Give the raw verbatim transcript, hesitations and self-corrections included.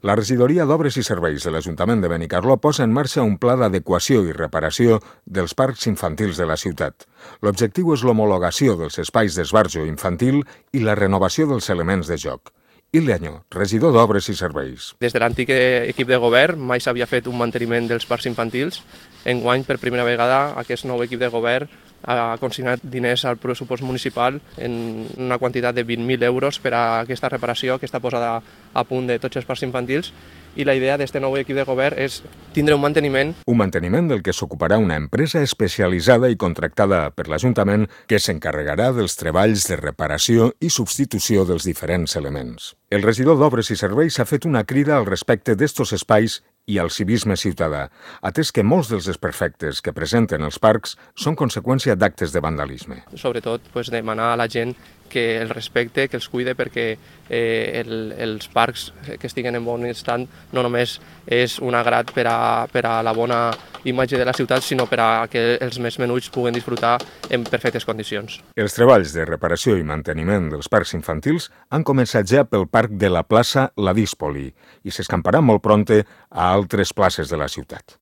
La regidoria d'Obres i Serveis de l'Ajuntament de Benicarló posa en marxa un pla d'adequació i reparació dels parcs infantils de la ciutat. L'objectiu és l'homologació dels espais d'esbarjo infantil i la renovació dels elements de joc. Ileño, regidor d'Obres i Serveis. Des de l'antic equip de govern mai s'havia fet un manteniment dels parcs infantils. Enguany, per primera vegada, aquest nou equip de govern ha consignat diners al pressupost municipal en una quantitat de vint mil euros per a aquesta reparació, aquesta posada a punt de tots els parcs infantils, i la idea d'aquest nou equip de govern és tindre un manteniment. Un manteniment del que s'ocuparà una empresa especialitzada i contractada per l'Ajuntament que s'encarregarà dels treballs de reparació i substitució dels diferents elements. El regidor d'Obres i Serveis ha fet una crida al respecte d'estos espais i al civisme ciutadà, atès que molts dels desperfectes que presenten els parcs són conseqüència d'actes de vandalisme. Sobretot, pues, demanar a la gent que el respecte, que els cuide, perquè eh, el, els parcs que estiguen en bon estat no només és un agrat per a, per a la bona imatge de la ciutat, sinó per a que els més menuts puguen disfrutar en perfectes condicions. Els treballs de reparació i manteniment dels parcs infantils han començat ja pel parc de la plaça La Díspoli i s'escamparà molt prompte a altres places de la ciutat.